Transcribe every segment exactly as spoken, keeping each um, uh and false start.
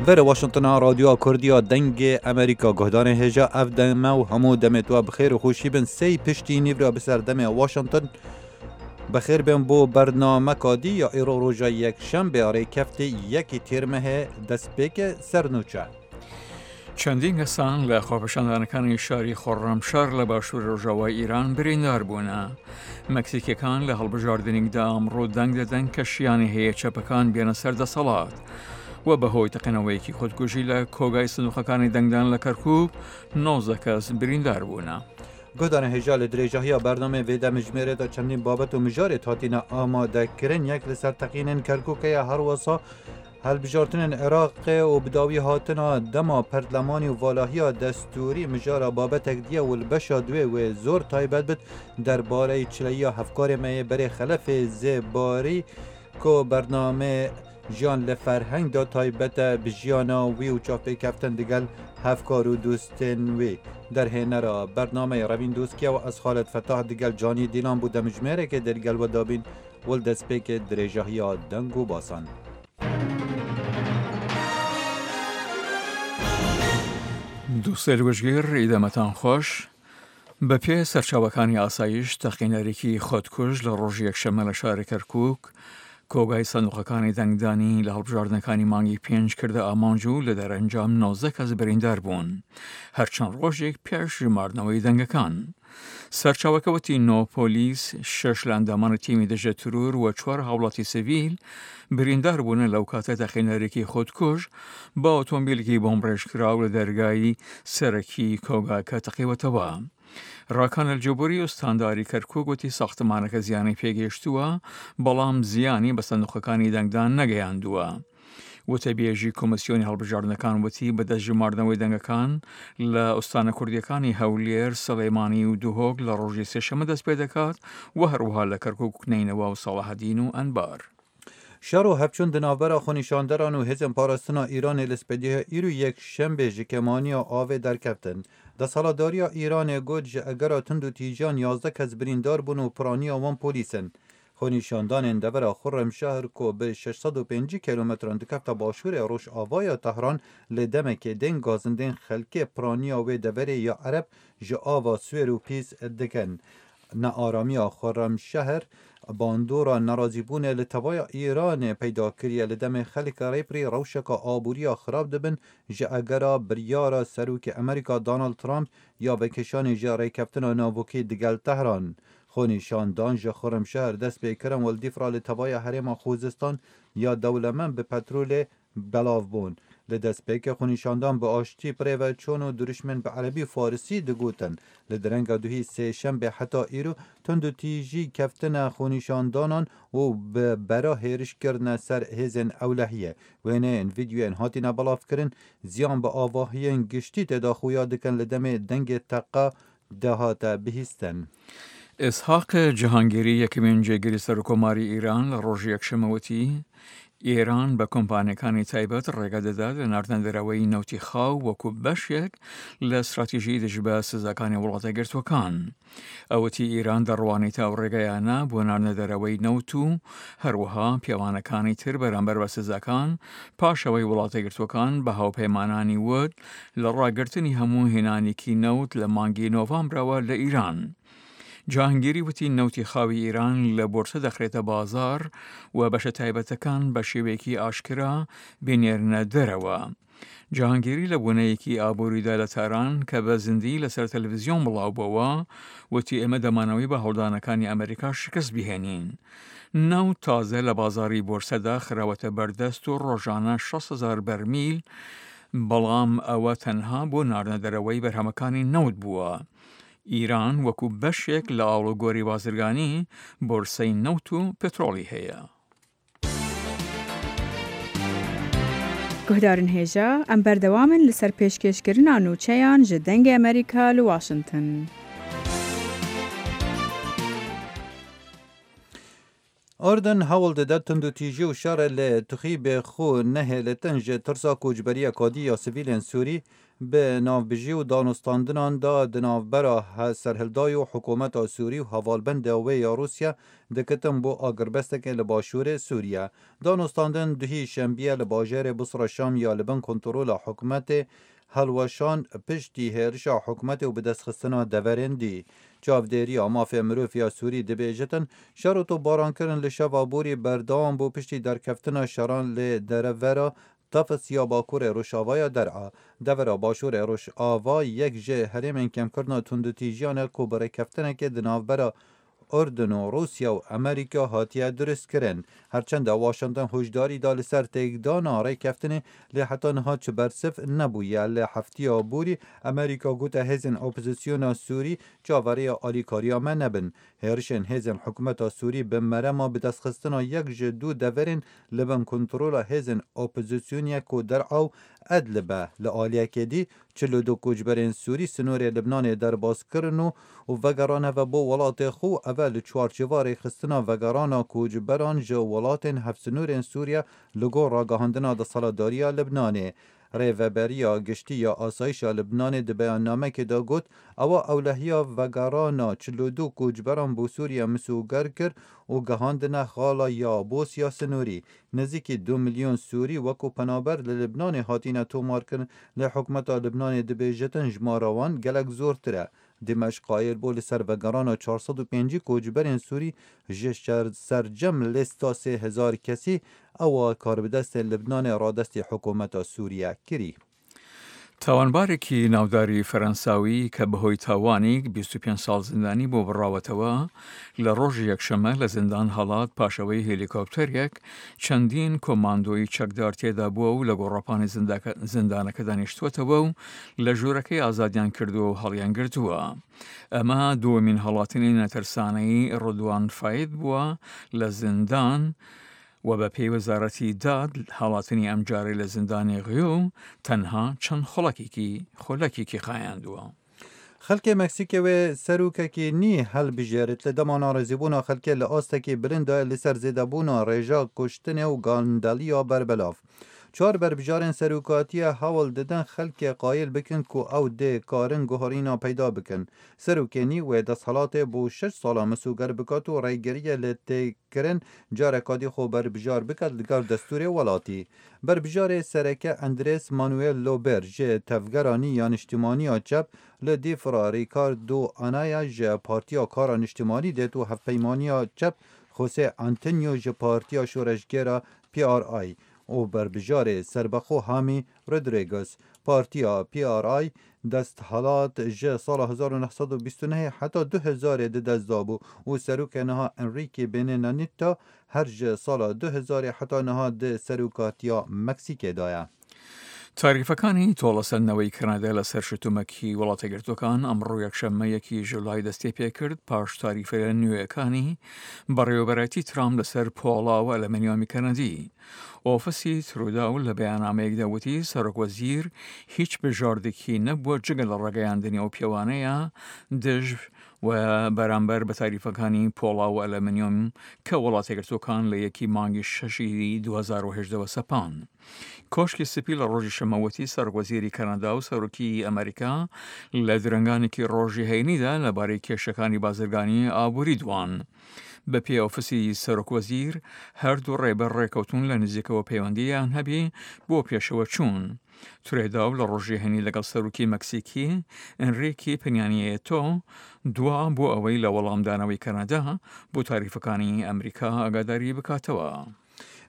Vere Washingtona Radyoya Kurdiya Dengê Amerîka, guhdarên hêja, ev deme û hemû demê tu bi xêr û xweşî bin. Sey piştî nîvra bi ser demê Washington. Bi xêr bin bo bernameka dî ya îro roja yekşembe ya rêkeftê yekî Tîrmehê destpêke ser nûçe. چەندین کەسان لە خۆپیشاندانەکانی شاری خۆڕەمشار لە باشوور ڕۆژاوای ئیران بریندار بوونە. مەکسیکیەکان لە هەڵبژاردنێکدا ئەمڕۆ دەنگ دەدەن کە شیانی هەیە چەپەکان بێنە سەر دەسەڵات. و بەهۆی تەقینەوەیەکی خودکوژی لە کۆگای سندوقەکانی دەنگدان لە کەرکووک، نۆزدە کەس بریندار بوونە. Guhdarên hêja, li dirêjahiya bernameyê vê demjimêrê de çendîn babet û mijarê hatine amadekirin. Yek li ser teqînên Kerkûkê ye, her wisa hilbijartinên Iraqê û bi dawî hatina dema pertlemanî û valahiya destûrî mijara babetek diye û li beşa duê wê zor taybet bit derbareyî çileyiya hevkarê me yê berê Xelefê Zêbarî ku bernameyê Jiyan li Ferheng de taybet e bi jiyana wî û çavpêkeftin digel hevkar û dostên wî. Derhênera bernameyê Revîn Doskiye û ez Xalid Fetah digel Canî Dîlan bo demjimêrekê dê li gel we dabîn û li destpêkê dirêjahiya deng û basan. دووسێل وشگیر ئیدەمەتان خۆش. بە پێ سەرچاوەکانی ئاسایش، تەقینەرێکی خۆتکوژ لە ڕۆژی یەکشەممە لە شاری کەرکووک کۆگای سندوقەکانی دەنگدانی لە هەڵبژاردنەکانی مانگی پێنج کردە ئامانج و لە دەرەنجام نۆزدە کەس بریندار بوون، هەرچەند ڕۆژێک پێش ژماردنەوەی دەنگەکان. سەرچاوەکە وتی نۆ پۆلیس، شەش لە ئەندامانی تیمی دژە ترور و چوار هاوڵاتی سڤیل بریندار بوونە لەو کاتە تەقینەرێکی خۆتکوژ بە ئۆتۆمبیلێکی بۆمبڕێژکراو لە دەرگای سەرەکی کۆگاکە تەقیوەتەوە. ڕاکان ئەلجبوری، ئوستانداری کەرکووک، وتی ساختمانەکە زیانی پێگەیشتووە، بەڵام زیانی بە سندوقەکانی دەنگدان نەگەیاندووە. وتەبێژی کۆمیسیۆنی هەڵبژاردنەکان وتی بەدەست ژماردنەوەی دەنگەکان لە ئوستانە کوردیەکانی هەولێر، سلێمانی و دهۆک لە ڕۆژی سێشەممە دەست پێ دەکات و هەروەها لە کەرکووک، نەینەوا و ساڵەحەدین و ئەنبار. Şer û hevçûn di navbera xwenîşanderan û hêzên parastina Îranê li spêdiya îro yekşembê ji kêmaniya avê derkeftin. Desthilatdariya Îranê got, ji egera tund û tîjan yazdeh kes birîndar bûn û piraniya wan polîs in. Xwenîşandanên devera Xurremşehr ku bi şeş sed û pêncî kilometran dikefta başûrê rojavaya Tehran, lê demekê dên gazindên xelkê piraniya wê deverê ya Ereb ji ava siwêr û pîs dikin. Nearamiya Xurremşehr bandora nerazîbûnê li tevaya Îranê peyda kiriye, li demê xelk rêpirî rewşeka aboriya xirab dibin, ji egera biryara Serokê Amerîka Donald Trump ya vekişanê ji rêkeftina navokî digel Tehran. Xwenîşandan ji Xurremşehr dest pê kirin û li dîf re li tevaya herêma Xuzistan ya dewlemend bi petrolê belav bûn. Li destpêkê xwenîşandan bi aştî bi rê ve çûn û dirûşmên bi erebî û farisî digotin. Li direnga duhî sêşembê heta îro tundûtîjî keftine xwenîşandanan û bi bera hêriş kirine ser hêzên ewlehiyê. Wêneyên vîdyoyên hatine belavkirin, ziyan bi avahiyên giştî tê de xuya dikin, li demê dengê teqa dehate bihîstin. ئیسحاق جەهانگیری، یەکەمین جێگری سەرکۆماری ئیران، لە ڕۆژی یەکشەممە وتی ئێران بە کۆمپانیەکانی تایبەت ڕێگە دەدات لە ناردنەدەرەوەی نەوتی خاو وەکو بەشێک لە استراتیژی دژ بە سزاکانی وڵاتە گرتوەکان. ئەوەتی ئیران دەڕوانێت ئەو ڕێگەیانە بۆ ناردنەدەرەوەی نەوت و هەروەها پێوانەکانی تر بەرامبەر بە سزاکان، پاشەوەی وڵاتە گرتوەکان بە هاوپەیمانانی وت لە ڕاگررتنی هەموو هێنانێکی نەوت لە مانگی نۆڤامبرەوە لە ئیران. جەهانگیری وتی نەوتی خاوی ئیران لە بۆرسە دەخرێتە بازار و بەشە تایبەتەکان بە شێوەیەکی ئاشکرا بینێرنە دەرەوە. جەهانگیری لە بوونەیەکی ئابووریدا لە تاران کە بە زیندی لەسەر تەلەڤیزیۆن بڵاو بۆوە، وتی ئێمە دەمانەوەی بە هەوڵدانەکانی ئەمریکا شکست بهێنین. نەوت تازە لە بازاری بۆرسەدا خراوەتە بەردەست و ڕۆژانە شەست هەزار بەرمیل، بەڵام ئەوە تەنها بۆ ناردنەدەرەوەی بەرهەمەکانی نەوت بووە. ئیران وەکو بەشێک لە ئاڵوگۆری بازرگانی بۆرسەی نەوت و پترۆڵی هەیە. Guhdarên hêja, em berdewam in li ser pêşkêşkirina nûçeyan ji Dengê Amerîka li Washington. Urdun hewl dide tundûtîjî û şerê li Tuxîbê xwe nehêlitin ji tirsa koçberiyeka dî ya sivîlên Sûrî Bi navbijî û danûstandinan de di navbera he-, serhildayî û hikûmeta Sûrî û hevalbenda wê ya Rûsya dikitin bo agirbesteke li başûrê Sûriye. Danûstandin duhî şembiye li bajêrê Busra Şam ya li bin kontrola hikûmetê hilweşand piştî hêrişa hikûmetê û bidestxistina deverên dî. Çavdêriya mafê mirov ya Sûrî dibêjitin, şer û topbarankirin li şeva borî berdewam bû piştî derkeftina şeran li derevera Tafis ya bakurê rojavaya Der'a. Devera başûrê rojava yek ji herêmên kêmkirina tundûtîjiyan e ku bi rêkeftinekê di navbera Urdun û Rûsya û Amerîka hatiye dirustkirin. Herçende Washington hûşdarî da li ser têkdana rêkeftinê, lê heta niha çi bersiv nebûye. Li heftiya borî Amerîka gote hêzên opozisyona Sûrî çaverêya alîkariya me nebin. Hêrişên hêzên hikûmeta Sûrî bi merema bidestxistina yek ji du deverên li bin kontrola hêzên opozisyonê ku Der'a û Edlib e. Li aliyekê dî, çil û du koçberên Sûrî sinorê Libnanê derbas kirin û, û vegerane ve bo welatê xwe û ev e li çarçêva rêxistina vegerana koçberan ji welatên hevsinorên Sûriye li gor ragihandina desthilatdariya Libnanê. Rêveberiya Giştî ya Asayişa Libnanê di beyannamekê de got, ewa ewlehiya vegerana çil û du koçberan bo Sûriye misûger kir û gihandine xala ya Bosya sinorî. Nêzîkî du milyon Sûrî wekû penaber li Libnanê hatine tomarkirin, lê hikûmeta Libnanê dibêjitin jimara wan gelek zortir e. Dimeşq qayîl bû li ser vegerana çar sed û pêncî koçberên Sûrî ji şer-, sercem lîsta sê hezar kesî ewa karbidestên Libnanê radestî hikûmeta Sûriye kirî. تاوانبارێکی ناوداری فەرەنساوی کە بەهۆی تاوانی بیست و پێنج ساڵ زیندانی بۆ بڕاوەتەوە، لە ڕۆژی یەکشەممە لە زیندان هەڵات پاشەوەی هێلیکۆپتەرێک چەندین کۆماندۆی چەکدار تێدا بووە و لە گۆڕەپانی زینداکە-، زیندانەکە دانیشتووەتەوە و لە ژوورەکەی ئازادیان کردووە و هەڵیان گرتووە. ئەمە دووەمین هەڵاتنی نەترسانەی ڕدوان فاید بووە لە زیندان و بە پێی وەزارەتی داد، هەڵاتنی ئەم جارەی لە زیندانی غیۆ تەنها چەند خۆڵەکێکی، خۆلەکێکی خایاندووە. Xelkê Meksîkê wê serokekî nî helbijêrit. Li dema narêzîbûna xelkê li astekî bilind de li ser zêdebûna rêja kuştinê û gandeliya berbelav. Çar berbijarên serokatiye hewl didin xelkê qayîl bikin ku ew dê karin guherîna peyda bikin. Serokê nî wê desthilatê bo şeş sala misûger bikat û rêgiriyê li tê kirin careka dî xwe berbijar biket li gel destûrê welatî. Berbijarê sereke Andrés Manuel Lober ji tevgera nî ya niştimanî ya çep, li dîfra Ricardo Anaya ji Partiya Kara Niştimanî dêt û hevpeymaniya çep José Antonio ji Partiya Şoreşgera P R I û berbijarê serbexwe Hami Rodriguez. Partiya P R I desthilat ji sala hezar û neh sed û bîst û nehê heta du hezarê di dest dabû û serokê niha Enrique Benenanita her ji sala du hezarê heta niha di serokatiya Meksîkê de ye. تاریفەکانی تۆڵەسەندنەوەی کەنەدا لەسەر شتومەکی وڵاتە گرتوەکان ئەمڕۆ یەکشەممە یەکی ژولای دەستی پێکرد، پاش تاریفە نوێەکانی بەڕێوەبەرایەتی ترامپ لەسەر پۆڵا و ئەلمنیۆمی کەنەدی. ئۆفیسی تروداو لە بەیاننامەیەکدا وتی سەرۆک وەزیر هیچ بژاردێکی نەبووە جگە لە ڕاگەیاندنی ئەو پێوانەیە دژ و بەرامبەر بە تاریفەکانی پۆڵا و ئەلمنیۆم کە وڵاتە گرتوەکان لە یەکی مانگی شەشی دوو هەزار و هەژدە وە سەپان. کۆشکی سپی لە ڕۆژی شەمەوەتی سەرۆک وەزیری کەنەدا و سەرۆکی ئەمریکا لە درەنگانێکی ڕۆژی هەینیدا لەبارەی کێشەکانی بازرگانی ئابووری دوان. بە پێی ئۆفیسی سەرۆک وەزیر، هەردوو ڕێبەر ڕێکەوتون لە نزیکەوە پەیوەندیان هەبی بۆ پێشەوە چوون. ترێداو لە ڕۆژی هەینی لەگەڵ سەرۆکی مەکسیکی ئەنریکی پنیانیێتۆ دوا بۆ ئەوەی لە وەڵامدانەوەی کەنەدا بۆ تاریفەکانی ئەمریکا ئاگاداری بکاتەوە.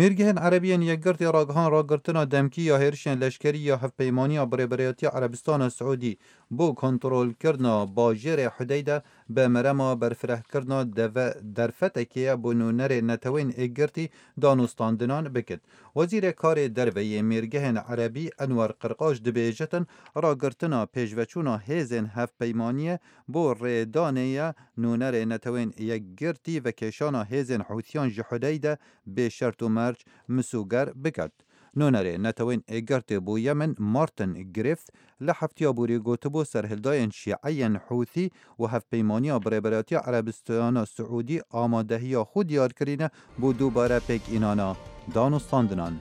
Mêrgehên Erebiyên Yekgirtî ragihan ragirtina demkî ya hêrişên leşkerî ya Hevpeymaniya Birêberayetiya Erebistana Siûdî bo kontrolkirina bajêrê Hudeyde bi merema berfirehkirina deve-, derfetekê ye bo nûnerê Netewên Êkgirtî danûstandinan bikit. Wezîrê Karê Derve yê Mêrgehên Erebî Enwer Qirqaş dibêjitin, ragirtina pêşveçûna hêzên hevpeymaniyê bo rêdanê ye, nûnerê Netewên Yekgirtî vekêşana hêzên Hûsiyan ji Hudeyde bê şert û merc misûger biket. Nûnerê Netewên Êkgirtê bo Yemen Martin Griffith li heftiya borî gotibû serhildayên şîeyên Hûsî û Hevpeymaniya Birêberatiya Erebistana Siûdî amadehiya xwe diyar kirîne bo dubare pêkînana danûstandinan.